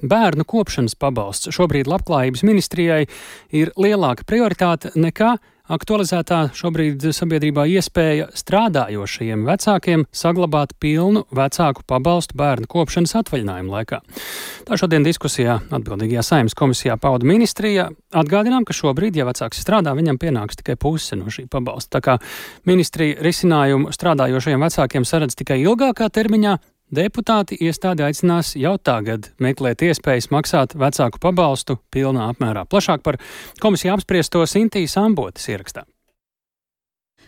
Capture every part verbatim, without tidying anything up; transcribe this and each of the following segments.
Bērnu kopšanas pabalsts šobrīd Labklājības ministrijai ir lielāka prioritāte nekā aktualizētā šobrīd sabiedrībā iespēja strādājošajiem vecākiem saglabāt pilnu vecāku pabalstu bērnu kopšanas atvaļinājuma laikā. Tā šodien diskusijā atbildīgajā Saeimas komisijā pauda ministrija. Atgādinām, ka šobrīd, ja vecāks strādā, viņam pienāks tikai puse no šī pabalsta. Tā kā ministrija risinājumu strādājošajiem vecākiem saredz tikai ilgākā termiņā, deputāti iestādi aicinās jau tagad meklēt iespējas maksāt vecāku pabalstu pilnā apmērā. Plašāk par komisiju apspriesto Sintīs Ambotes ierakstā.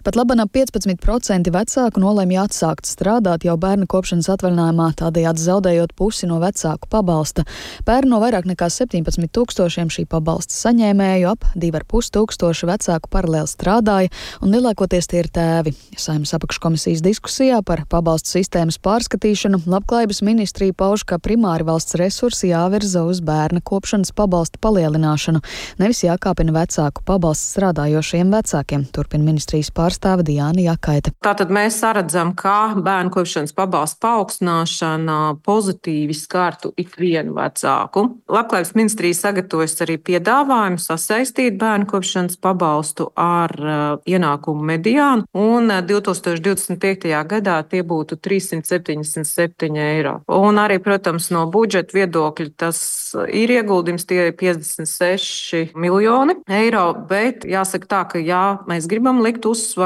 Pat labi ap piecpadsmit procenti vecāku nolēma atsākt strādāt jau bērnu kopšanas atvaļinājumā, tādējādi zaudējot pusi no vecāku pabalsta. Pērn no vairāk nekā septiņpadsmit tūkstošiem šī pabalsta saņēmēju ap divi ar pus tūkstoši vecāku paralēli strādāja, un lielākoties tie ir tēvi. Saeimas apakškomisijas diskusijā par pabalstu sistēmas pārskatīšanu Labklājības ministrija pauž, ka primāri valsts resursi jāvirza uz bērna kopšanas pabalsta palielināšanu, nevis jākāpina vecāku pabalstu strādājošiem vecākiem, turpina ministrijas pārstāvja Diāna Jakaite. Tātad mēs saredzam, ka bērnu kopšanas pabalsta paaugstināšana pozitīvi skartu ikvienu vecāku. Labklājības ministrija sagatavojas arī piedāvājumu sasaistīt bērnu kopšanas pabalstu ar uh, ienākumu mediānu, un uh, divi tūkstoši divdesmit piektajā gadā tie būtu trīs simti septiņdesmit septiņi eiro. Un arī, protams, no budžeta viedokļa tas ir ieguldījums, tie ir piecdesmit seši miljoni eiro, bet jāsaka tā, ka jā, mēs gribam likt uzsvaru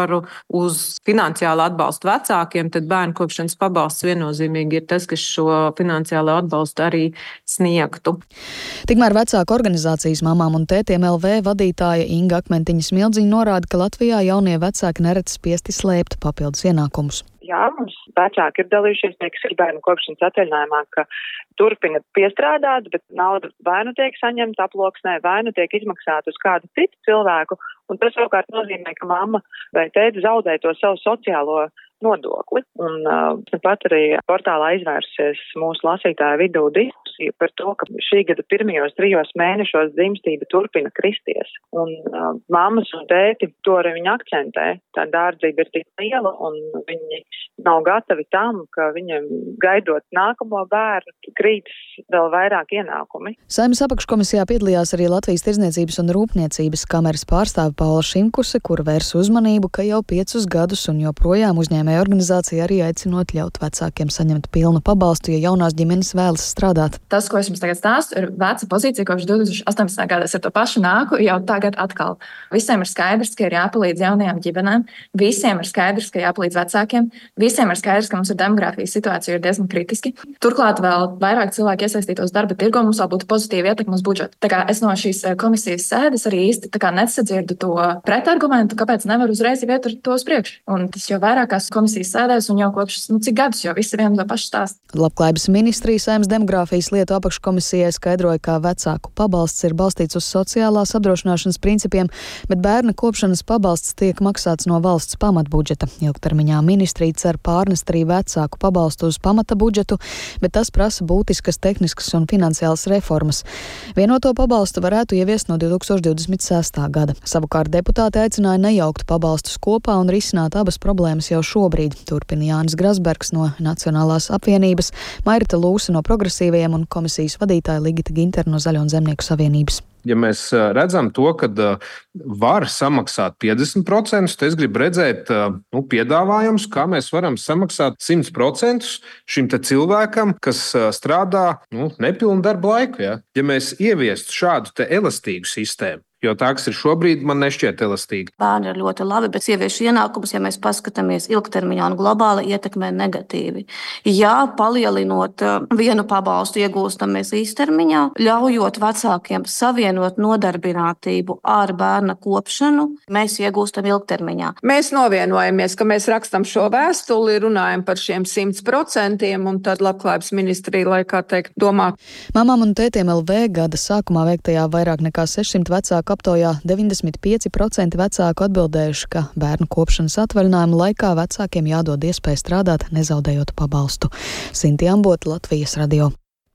uz finansiālu atbalstu vecākiem, tad bērnu kopšanas pabalsts viennozīmīgi ir tas, kas šo finansiālo atbalstu arī sniegtu. Tikmēr vecāku organizācijas Mamām un tētiem L V vadītāja Inga Akmentiņa-Smildziņa norāda, ka Latvijā jaunie vecāki nereti spiesti slēpt papildus ienākumus. Jā, mums vecāki ir dalījušies, teiksim, bērnu kopšanas atvaļinājumā, ka turpina piestrādāt, bet nauda vai nu tiek saņemta aploksnē, vai nu tiek izmaksāta uz kādu citu cilvēku, un tas savukārt nozīmē, ka mamma vai tēti zaudē to savu sociālo nodokli. Un uh, pat arī portālā izvērsies mūsu lasītāju vidū diskusija par to, ka šī gada pirmajos trijos mēnešos dzimstība turpina kristies. Un uh, mammas un tēti to arī viņi akcentē. Tā dārdzība ir tik liela, un viņi nav gatavi tam, ka viņiem gaidot nākamo bērnu krītas vēl vairāk ienākumi. Saeimas apakškomisijā piedalījās arī Latvijas Tirdzniecības un Rūpniecības kameras pārstāve Paula Šimkuse, kur vērs uzmanību, ka jau piecus gadus un joprojām uzņēmēja organizācija arī aicinot ļaut vecākiem saņemt pilnu pabalstu, ja jaunās ģimenes vēlas strādāt. Tas, ko es jums tagad stāstu, ir veca pozīcija, kopš divi tūkstoši astoņpadsmitā gadā. Es ar to pašu nāku jau tagad atkal. Visiem ir skaidrs, ka ir jāpalīdz jaunajām ģimenēm, visiem ir skaidrs, ka jāpalīdz vecākiem, visiem ir skaidrs, ka mums ir demogrāfijas situācija ir diezgan kritiski. Turklāt vēl vairāk cilvēki iesaistītos darba tirgo, mums vēl būtu pozitīva ietekme uz budžetu. Tā kā es no šīs komisijas sēdes arī īsti tā kā nesadzirdu to pretargumentu, kāpēc nevar uzreiz iet ar to uz priekšu. Un tas jau vairākās komisijas sēdēs un jau kopš, nu, cik gadus jau visi vienu to pašu stāst. Labklājības ministrija Saeimas demogrāfijas lietu apakškomisijai skaidroja, ka vecāku pabalsts ir balstīts uz sociālās apdrošināšanas principiem, bet bērna kopšanas pabalsts tiek maksāts no valsts pamatbudžeta. Ilgtermiņā ministrija cer pārnest arī vecāku pabalstu uz pamata budžetu, bet tas prasa būtiskas tehniskas un finansiālas reformas. Vienoto pabalstu varētu ieviest no divi tūkstoši divdesmit sestā gada. Savukārt deputāti aicināja nejaukt pabalstus kopā un risināt abas problēmas jau šobrīd. Turpina Jānis Grasbergs no Nacionālās apvienības, Mairita Lūse no Progresīvajiem un komisijas vadītāja Ligita Gintere no Zaļo un Zemnieku savienības. Ja mēs redzam to, ka var samaksāt piecdesmit procentus, tad es gribu redzēt nu, piedāvājumus, kā mēs varam samaksāt simt procentus šim te cilvēkam, kas strādā nu, nepilnu darba laiku. Ja, ja mēs ieviestu šādu te elastīgu sistēmu, jo tā, kas ir šobrīd, man nešķiet elastīgi. Bērni ir ļoti labi, bet sieviešu ienākumus, ja mēs paskatāmies ilgtermiņā un globāli, ietekmē negatīvi. Jā, palielinot vienu pabalstu iegūstam mēs īstermiņā, ļaujot vecākiem savienot nodarbinātību ar bērna kopšanu, mēs iegūstam ilgtermiņā. Mēs novienojamies, ka mēs rakstam šo vēstuli, runājam par šiem simt procentiem, un tad Labklājības ministrija, lai kā teikt, domā. Mamām un tētiem L V gada sākumā veiktajā vairāk nekā sešsimt vecāku aptaujā deviņdesmit pieci procenti vecāku atbildējuši, ka bērnu kopšanas atvaļinājuma laikā vecākiem jādod iespēja strādāt, nezaudējot pabalstu. Sintī Ambote, Latvijas radio.